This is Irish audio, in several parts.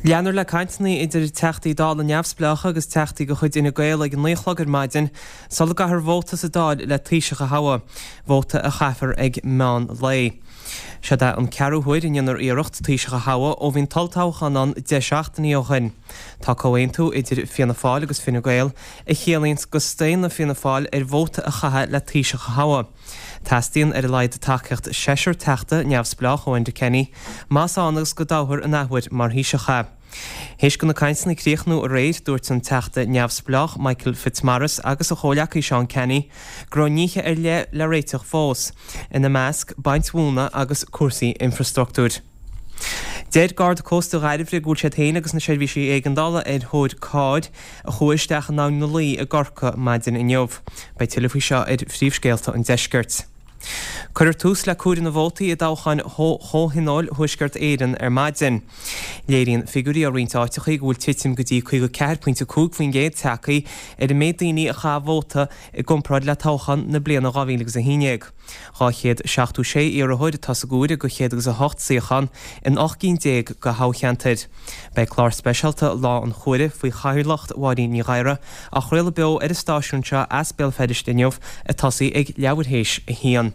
Leanfar le cainteanna idir Teachtaí Dála neamhspleácha agus Teachtaí de chuid Fhine Gael ag a 9 a chlog ar maidin sula gcaithfear vóta sa Dáil le Taoiseach a thoghadh, vóta a chaithfear ag meán lae. Seod é an ceathrú huair a ndéanfar iarracht Taoiseach a thoghadh ó bhí an t-olltoghchán ann 10 seachtainí ó shin. Tá comhaontú idir Fianna Fáil agus Fine Gael a chiallaíonns go staonfaidh Fianna Fáil ar vóta a chaitheamh le Taoiseach a thoghadh. Teastaíonn ar a laghad tacaíocht seisear Teachta neamhspleách ó Enda Kenny más ann agus go dtoghfar an athuair mar Thaoiseach é. Théis do na cainteanna críochnú aréir, dúirt an Teachta neamhspleách Michael Fitzmaurice agus a chomhleacaí Seán Canney go raibh nithe ar leith le réiteach fós, ina measc baint mhóna agus cúrsaí infreastruchtúir. Deir Garda Cósta Dhairbhre go bhfuil siad féin agus na seirbhísí éigeandála ar thóir cairr a chuaigh isteach in Abhainn na Laoi i gCorcaigh maidin inniu. Beidh tuilleadh faoi seo ar Phríomhscéalta an Deiscirt. Cuirfear tús le comhaireamh na vótaí i dtoghcháin Chomhthionóil Thuaisceart Éireann ar maidin. Léiríonn figiúirí ó roinnt áiteachaí go bhfuil titim go dtí 54.5% tagtha ar an méid daoine a chaith vóta i gcomparáid le toghchán na bliana 2011. 276 iarrthóir atá sa gcomhaireamh do 108 suíochán in 18 gcinn de thoghcheantair. Beidh clár speisialta Lá an Chomhairimh faoi chathaoirleacht Mháirín Ní Ghadhra á chraoladh beo ar an stáisiún seo as Béal Feirste inniu ag tosaí ag leathuair théis a haon.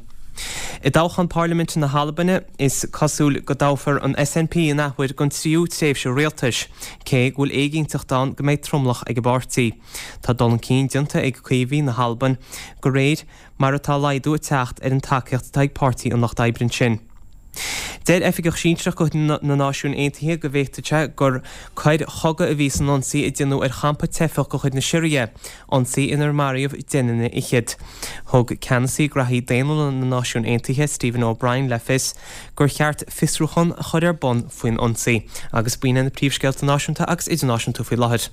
I dtoghchán parlaiminte na hAlbaine, is cosúil go dtoghfar an SNP an athuair don tríú tréimhse rialtais, cé go bhfuil éiginnteacht ann go mbeidh tromlach ag an bpáirtí. Tá dul chun cinn déanta ag Caomhaigh na hAlban de réir mar atá laghdú ag teacht ar an tacaíocht atá ag Páirtí an Lucht Oibre ansin. Deir oifigeach sinsearach de chuid na Náisiún Aontaithe go bhféadfadh sé gur coir chogaidh a bhí san ionsaí a déanadh ar champa teifeach de chuid na Siria, ionsaí inar maraíodh 10 nduine fhichead. Thug ceannasaí graithí daonnúla na Náisiún Aontaithe, Stephen O'Brien, le fios gur cheart fiosrúchán a chur ar bun faoin ionsaí. Agus b'in iad na príomhscéalta náisiúnta agus idirnáisiúnta faoi láthair.